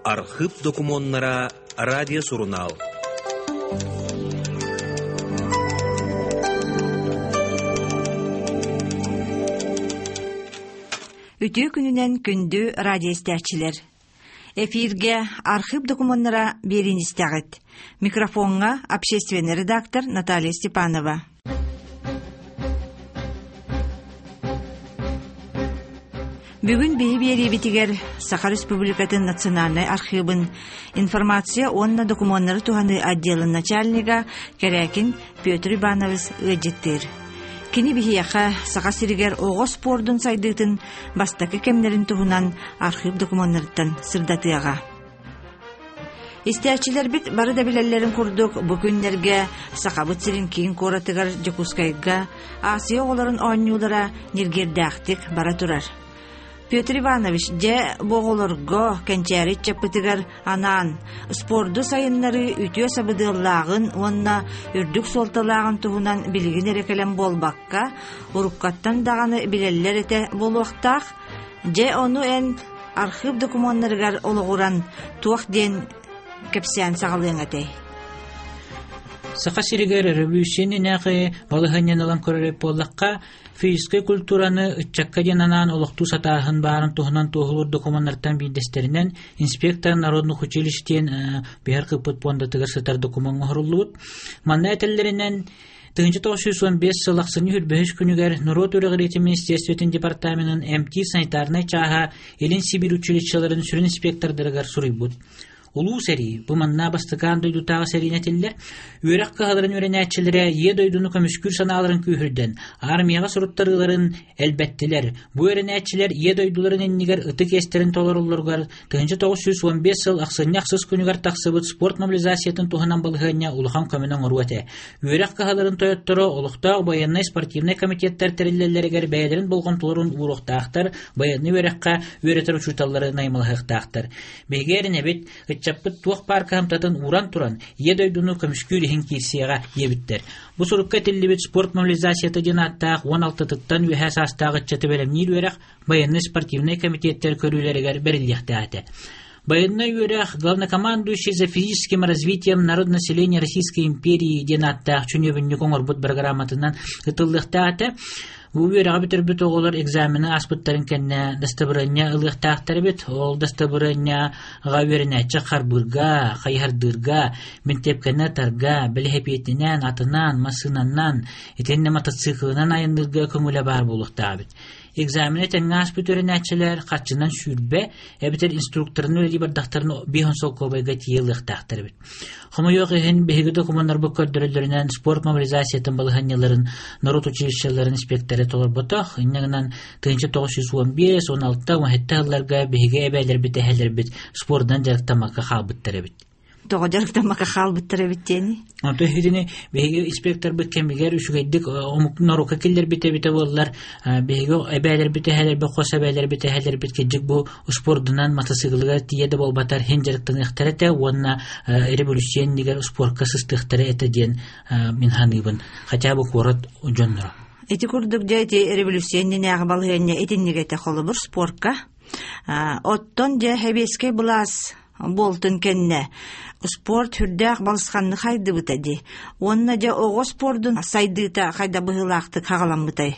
Архыып докумуоннара радиосурунаал. Үтүө күнүнэн күндү радиоистээччилэр! Эфиргэ архыып докумуоннара биэриини истэҕит. Микрофоҥҥа общественный редактор Наталья Степанова. Бүгүн биһи биэриибитигэр Саха Республикатын Национальнай архыыбын информация уонна докумуоннары туһаныы отделын начальнига Кэрээкин Петр Иванович ыалдьыттыыр. Кини биһиэхэ Саха сиригэр оҕо спордун сайдыытын бастакы кэмнэрин туһунан архыып докумуоннарыттан сырдатыаҕа. Истээччилэрбит бары да билэллэрин курдук, бу күннэргэ Сахабыт сирин киин куоратыгар Дьокуускайга Азия оҕолорун оонньуулара ньиргиэрдээхтик бара турар. Петр Иванович, дьэ, бу оҕолорго кэнчээри ыччаппытыгар анаан спорду сайыннарыы үтүө сабыдыаллааҕын уонна үрдүк суолталааҕын туһунан билигин эрэ кэлэн буолбакка, уруккаттан даҕаны билэллэр этэ буолуохтаах. Дьэ, ону эн архыып докумуоннарыгар олоҕуран туох диэн кэпсээн саҕалыаҥ этэй? Саха сиригэр өрөбүүсүйэ иннинээҕи балаһыанньаны ылан көрөр буоллахха, физическэй культураны ыччакка диэн анаан олохтуу сатааһын баарын туһунан туоһулуур докумуоннартан биирдэстэринэн инспектор народных училищ диэн биһэр кыппыт пуондатыгар сытар докумуон оҥоһуллубут. Манна этэллэринэн 1915 сыл ахсынньы 25 күнүгэр норуот үөрэҕириитин министерствотын департаменын МТ санитарнай чааһа Илин Сибиир училищеларын сүрүн инспектордарыгар суруйбут. Улуу сэрии, бу манна бастакаан дойдутааҕы сэриини этиллэр, үөрэх кыһаларын үөрэнээччилэрэ Ийэ дойдуну көмүскүүр санааларын күүһүрдэн, армияҕа суруттарыыларын элбэттилэр. Бу үөрэнээччилэр Ийэ дойдуларын иннигэр ытык иэстэрин толороллоругар 1915 сыл ахсынньы ахсыс күнүгэр тахсыбыт спорт мобилизациятын туһунан балаһыанньа улахан көмөнү оҥоруо этэ. Үөрэх кыһаларын тойотторо олохтоох байыаннай-спортивнай комитеттар тэриллэллэригэр бэйэлэрин болҕомтолорун ууруохтаахтар, байыаннай үөрэххэ үөрэтэр учууталлары наймылаһыахтаахтар. Биһиги эрэнэбит, ыччаппыт туох баар кыһамтатын ууран туран, Ийэ дойдуну көмүскүүр иһин киирсиэҕэ диэбиттэр. Бу сурукка этиллибит спорт мобилизацията диэн ааттаах 16-тыттан үөһээ саастаах ыччаты бэлэмниир үөрэх байыаннай-спортивнай комитеттэр көрүүлэригэр бэриллиэхтээх этэ. Байыаннай үөрэх главнокомандующий за физическим развитием народонаселения Российской империи диэн ааттаах чүнүөбүнньүк оҥорбут программатынан ытыллыахтаах этэ. Бу үөрэҕи бүтэрбит оҕолор экзамены ааспыттарын кэннэ дастабырыанньа ылыахтаахтар эбит. Ол дастабырыанньаҕа үөрэнээччи харбыырга, хайыһардыырга, бинтиэпкэни атарга, бэлэһэпиэтинэн, атынан, массыынанан, итиэннэ мотоциклынан айанныырга көҥүлэ баар буолуохтаах эбит. Экзамены тэҥҥэ ааспыт үөрэнээччилэр харчынан сүүрбэ эбэтэр инструкторын үлэлии бардахтарына биэс солкуобайга тиийэ ылыахтаахтар эбит. Хомойуох иһин, биһиги докумуоннарбыт көрдөрөллөрүнэн спорт мобилизациятын балаһыанньаларын норуот училищеларын инспектора толорботох. Инньэ гынан 1915, 16, 17 сылларга биһиги эбээлэрбит, эһэлэрбит спордунан дьарыктаммакка хаалбыттар эбит. Тоҕо дьарыктаммакка хаалбыттар эбит диэни? Онтон иһитини биһиги инспекторбыт кэмигэр үчүгэйдик омук норуокка киллэрбит эбитэ буоллар, биһиги эбээлэрбит, эһэлэрбит, хос эбээлэрбит, эһэлэрбит кырдьык бу спордунан матасыыкылыгар тиийэ да буолбатар иһин дьарыктаныахтара этэ уонна революция иннигэр спорка сыстыахтара этэ диэн мин саныыбын. Хотя бы куорат дьонноро. Ити курдук дьэ ити революция иннинээҕи балаһыанньа итинник этэ холобур спорка. Оттон дьэ сэбиэскэй былаас буолтун кэннэ спорт сүрдээх балысханнык хайдыбыта дии. Уонна дьэ оҕо спордун сайдыыта хайда быһыылаахтык хаҕаламмытай?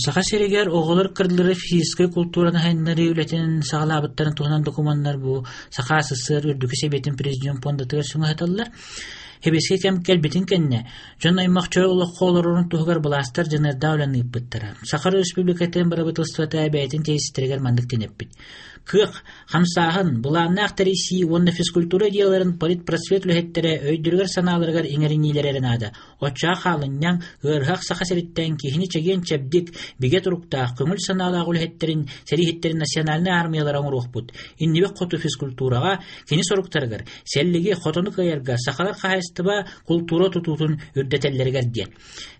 Саха сиригэр оҕолор кырдылары физическэй култуураны сайыннарыы үлэтин саҕалаабыттарын туһунан докумуоннар бу Саха СССР Үрдүкү Сэбиэтин Президиум пуондатыгар сүҥэһэтэллэр. Сэбиэскэй кэм кэлбитин кэннэ, дьон аймах чөл олоххо олорорун туһугар былаастар дьаныардаах үлэни ыыппыттара. Саха Өрөспүүбүлүкэтин бырабыыталыстыбата бэйэтин тиэйситтэригэр маннык тэниппит. Кыах, хамсааһын, былааннаах тэрийсии уонна физкультура идеяларын политпросвет үлэһиттэрэ өйдөрүгэр-санааларыгар иҥэриниилэрэ эрэ наада. Оччоҕо хаалынньаҥ, ыарыһах Саха сириттэн киһини чэгиэн-чэбдик, бигэ туруктаах, көҥүл санаалаах үлэһиттэрин, сэрииһиттэрин национальнай аармыйалара оҥоруохпут. Иннибит хоту физкультураҕа, кини соруктарыгар, сэллиги, хотону кыайарга сахалар хаһаайыстыба, култуура тутуутун үрдэтэллэригэр диэн.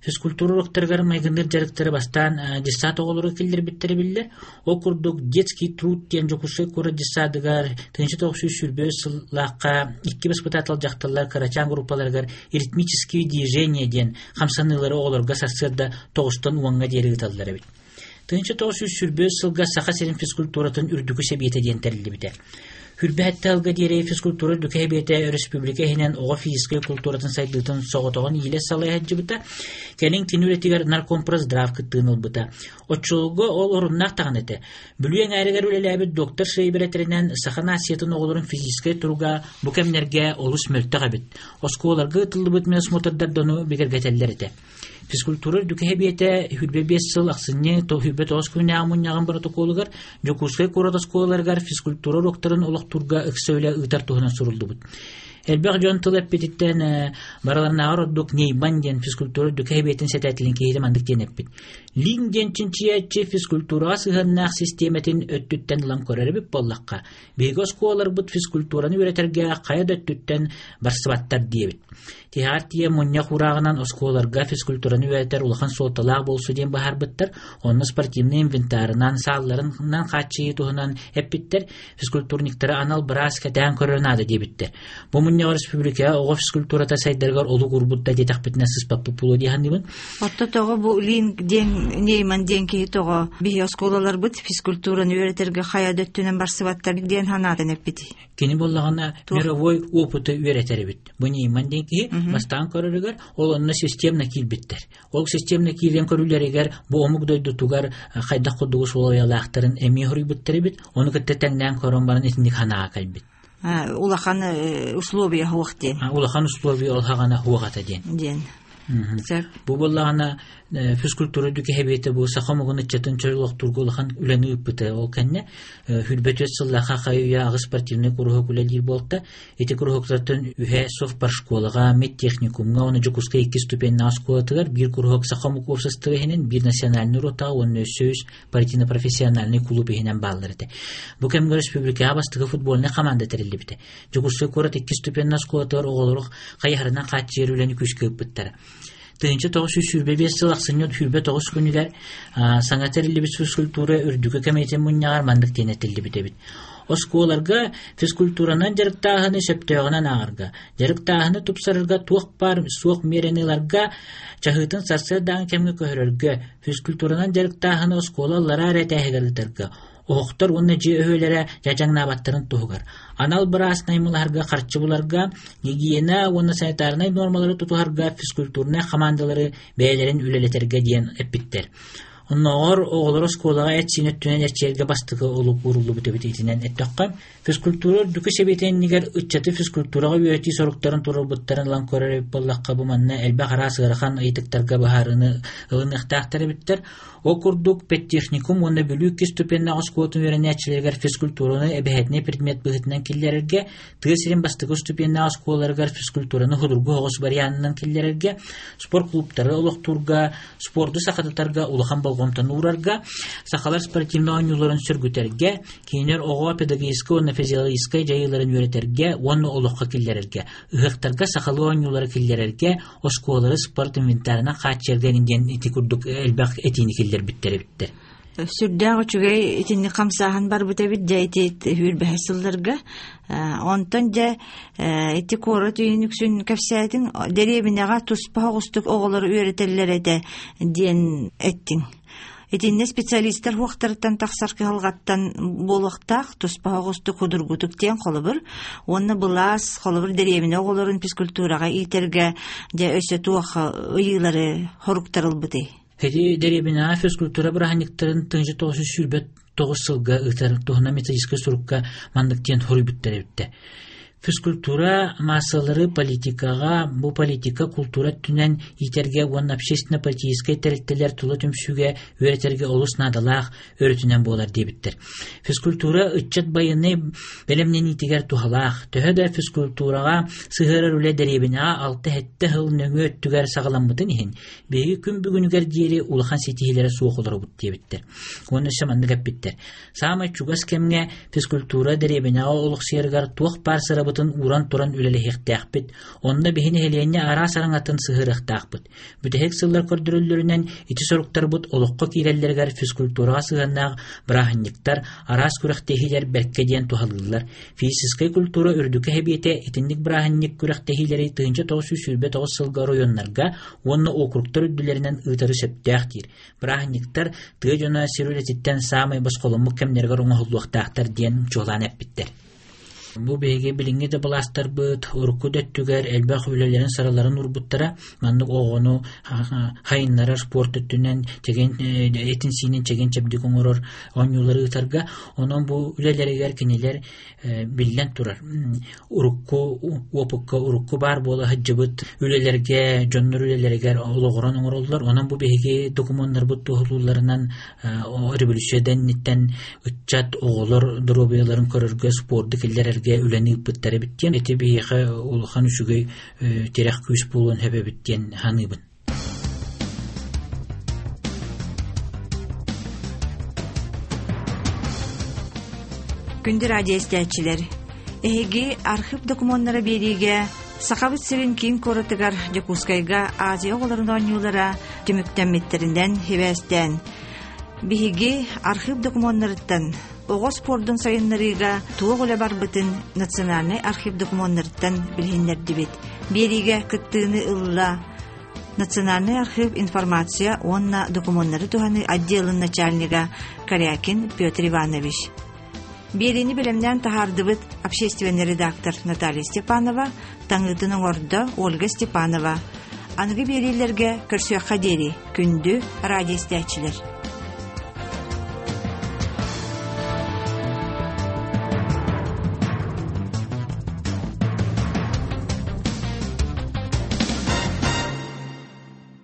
Физкультура уруоктарыгар майгынныыр дьарыктары бастаан детсад оҕолоро киллэрбиттэрэ биллэр. Ол курдук «Детский труд» диэн Дьокуускай куорат детсадыгар 1925 сыллаахха икки баспытаатал дьахталлар кырачаан группаларыгар «Ритмические движения» диэн хамсаныылары оҕолорго сарсыарда тоҕустан уоҥҥа диэри ыыталлар эбит. 1925 сылга Саха сирин физкультуратын үрдүкү сэбиэтэ диэн тэриллибитэ. Хүрбэһэттэ алга диэри физкультура үрдүкү сэбиэтэ өрөспүүбүлүкэ иһинэн оҕо физическэй культуратын сайдыытын соҕотоҕун иилэ салайа сылдьыбыта. Кэлин кини үлэтигэр наркомпросздрав кыттыыны ылбыта. Оччолорго ол оруннаах даҕаны этэ. Бүлүү эҥээригэр үлэлээбит доктор Шейбер этэринэн, саха нациятын оҕолорун физическэй туруга бу кэмнэргэ олус мөлтөх эбит. Оскуолаларга ыытыллыбыт медосмотрдар дьону бигэргэтэллэр этэ. Физкультура үрдүкү сэбиэтэ 25 сыл ахсынньы 29 күннээҕи мунньаҕын боротокуолугар Дьокуускай куорат оскуолаларыгар физкультура уруоктарын олохтуурга ыкса үлэ ыытар туһунан суруллубут. Элбэх дьон тыл эппититтэн барыларынааҕар ордук Нейман диэн физкультура үрдүкү сэбиэтин сэтээтилин киһитэ маннык диэн эппит. Лин диэн чинчийээччи физкультураҕа сыһыаннаах систиэмэтин өттүттэн ылан көрөр эбит буоллахха, биһиги оскуолаларбыт физкультураны үөрэтэргэ хайа да өттүттэн барсыбаттар диэбит. Тиһэҕэр тиийэ мунньах уурааҕынан оскуолаларга физкультураны үөрэтэр улахан суолталаах буолсу диэн быһаарбыттар. Онно спортивнай инвентарынан, саалларынан хааччыйыы туһунан эппиттэр. Физкультурниктары анал быраас кэтээн көрөр наада диэбиттэр. Бу мунньаҕа республикаҕа оҕо физкультурата сайдарыгар олук уурбут да диэтэхпитинэ сыспаппыт буолуо дии саныыбын. Отто тоҕо бу Лин диэн Нейман диэн киһи тоҕо биһи оскуолаларбыт физкультураны үөрэтэргэ хайа да өттүнэн барсыбаттар диэн санаатын эппитий? Кини буоллаҕына мировой опыты үөрэтэр эбит. Бу Нейман диэн киһи бастаан көрөрүгэр ол онно системно киирбиттэр. Ол системно киирэн көрүүлэригэр бу омук дойдутугар хайдах курдугу суолайалаахтарын эмиэ хоруйбуттар эбит. Ону кытта тэҥнээн көрөн баран итинник санааҕа кэлбит. Улахан условия хуох диэн. Улахан условия ол хаҕана хуох ата диэн. Диэн. Бу буоллаҕына физкультура дүкэһэбиэтэ бу саха омугун ыччатын чөл олохтуурга улахан үлэни ыыппыта. Ол кэннэ хүрбэтүөт сыллаах хайуйа аҕыс спортивный куруһуок үлэлиир буолта. Ити куруһуктартан үһэ совпаршколаҕа, медтехникумҥа, уонна Дьокуускай икки ступеннаах оскуолатыгар биир куруһуок саха омук уопсастыба иһинэн, биир национальный ротаҕа уонна өссө үс партийно-профессиональный кулууп иһинэн бааллар этэ. Бу кэмҥэ республикаҕа бастакы футбольнай команда тэриллибитэ. Дьокуускай куорат икки ступеннаах оскуолатыгар оҕолору хайыһарынан хааччыйар үлэни күүскэ ыыппыттара. 1925 сыл ахсынньы 29 күнүгэр саҥа тэриллибит физкультура үрдүкү кэмитиэтин мунньаҕар маннык диэн этиллибит эбит. Оскуолаларга физкультуранан дьарыктааһыны сөптөөҕүнэн ааҕарга, дьарыктааһыны тупсарарга туох баар суох миэрэни ыларга, чаһыытын сарсыардааҥы кэмҥэ көһөрөргө, физкультуранан дьарыктааһыны оскуола аллараа эрэ этээһигэр ыытарга, оһохтор уонна дьиэ өһүөлэрэ дьадьаҥнаабаттарын туһугар, анал быраас наймылаһарга харчы буларга, гигиена уонна санитарнай нуормалары тутуһарга физкультурнай хамаандалары бэйэлэрин үлэлэтэргэ диэн эппиттэр. Оннооҕор оҕолор оскуолаҕа эт-сиин өттүнэн эрчийэргэ бастакы олук ууруллубут эбит итинэн эттэххэ, физкультура үрдүкү сэбиэтин иннигэр ыччаты физкультураҕа үөрэтии соруктарын туруорбуттарын ылан көрөр эбит буоллахха, бу манна элбэх араас ыарахан ыйытыктарга быһаарыыны ылыныахтаахтар эбиттэр. Ол курдук, педтехникум уонна Бүлүү иккис ступеннаах оскуолатын үөрэнээччилэригэр физкультураны эбэһээтинэй предмет быһыытынан киллэрэргэ, тыа сирин бастакы ступеннаах оскуолаларыгар физкультураны судургу соҕус варианынан киллэрэргэ, спорт клубтары олохтуурга, спорду сахатытарга улахан болҕомтону уурарга, сахалар спортивнай оонньууларын сөргүтэргэ, кинилэр оҕо педагогическай уонна физиологическай дьайыыларын үөрэтэргэ уонна олоххо киллэрэргэ, ыһыахтарга сахалыы оонньуулары киллэрэргэ, оскуолалары спорт инвентарынан хааччыйарга диэн ити курдук элбэх этиини киллэрбиттэр эбиттэр. Сүрдээх үчүгэй итинник хамсааһын барбыт эбит дьэ ити сүүрбэһис сылларга. Онтон дьэ ити куорат үйүн үксүн кэпсээтиҥ дэриэбинэҕэ туспа оҕустук оҕолору үөрэтэллэр этэ диэн эттиҥ. Итиннэ специалистар хуохтарыттан тахсар кыһалҕаттан буолуохтаах туспа оҕустук худургутук диэн холобур уонна былаас холобур дэриэбинэ оҕолорун физкультураҕа иитэргэ дьэ өссө туох ыйыылары хоруктарылбытый? Ити дэриэбинэҕэ физкультура бырааһынньыктарын 1929 сылга ыытар туһунан методическай сурукка маннык диэн хоруйбуттар эбиттэ. Физкультура маассалары политикаҕа, бу политика култуура өттүнэн иитэргэ уонна общественно-политическай тэрилтэлэр тула түмсүүгэ үөрэтэргэ олус наадалаах өрүтүнэн буолар диэбиттэр. Физкультура ыччат байыаннай бэлэмнэниитигэр туһалаах. Төһө да физкультураҕа сыһыарар үлэ дэриэбинэҕэ алта-сэттэ сыл нөҥүө өттүгэр саҕаламмытын иһин, биһиги күн бүгүнүгэр диэри улахан ситиһиилэрэ суох олоробут диэбиттэр. Уонна өссө маннык эппиттэр. Саамай чугас кэмҥэ физкультура дэриэбинэҕэ олохсуйарыгар туох баар сырабытын ууран туран үлэлэһиэхтээхпит. Онно биһи нэһилиэнньэ араас араҥатын сыһыарыахтаахпыт. Бүтэһик сыллар көрдөрөллөрүнэн ити соруктарбыт олоххо киирэллэригэр физкультураҕа сыһыаннаах бырааһынньыктар, араас күрэхтэһиилэр бэркэ диэн туһалыыллар. Физическэй культура үрдүкү сэбиэтэ итинник бырааһынньык күрэхтэһиилэри 1929 сылга оройуоннарга уонна округтар үрдүлэринэн ыытары сөптөөх диир. Бырааһынньыктар тыа дьоно сир үлэтиттэн саамай босхоломмут кэмнэригэр оҥоһуллуохтаахтар диэн чуолаан эппиттэр. Бу биһиги билиҥҥи да былаастарбыт урукку да өттүгэр элбэх үлэлэрин сараларын уурбуттара. Маннык оҕону хайыннарар спорт өттүнэн чэгиэн этин-сиинин чэгиэн-чэбдик оҥорор оонньуулары ыытарга. Онон бу үлэлэригэр кинилэр биллэн турар урукку уопукка урукку баар буола сылдьыбыт үлэлэргэ дьоннор үлэлэригэр олоҕуран оҥороллор. Онон бу биһиги докумуоннарбыт туоһулуулларынан революция инниттэн ыччат оҕолор доруобуйаларын көрөргө спорду киллэрэргэ үлэни ыыппыттар эбит диэн ити биһиэхэ улахан үчүгэй тирэх күүс буолуон сөп эбит диэн саныыбын. Күндү радио истээччилэр, эһиги архив докумуоннара биэриигэ Сахабыт сирин киин куоратыгар Дьокуускайга Азия оҕолорун оонньуулара түмүктэммиттэринэн сибээстээн, биһиги архив докумуоннарыттан оҕо спордун сайыннарыыга туох үлэ барбытын Национальнай архив докумуоннарыттан билиһиннэрдибит. Биэриигэ кыттыыны ылла Национальный архив информация уонна докумуоннары туһаныы отделын начальнига Корякин Петр Иванович. Биэриини бэлэмнээн таһаардыбыт общественный редактор Наталья Степанова, таҥыытын оҥордо Ольга Степанова. Аныгы биэриилэргэ көрсүөххэ диэри күндү радио истээччилэр.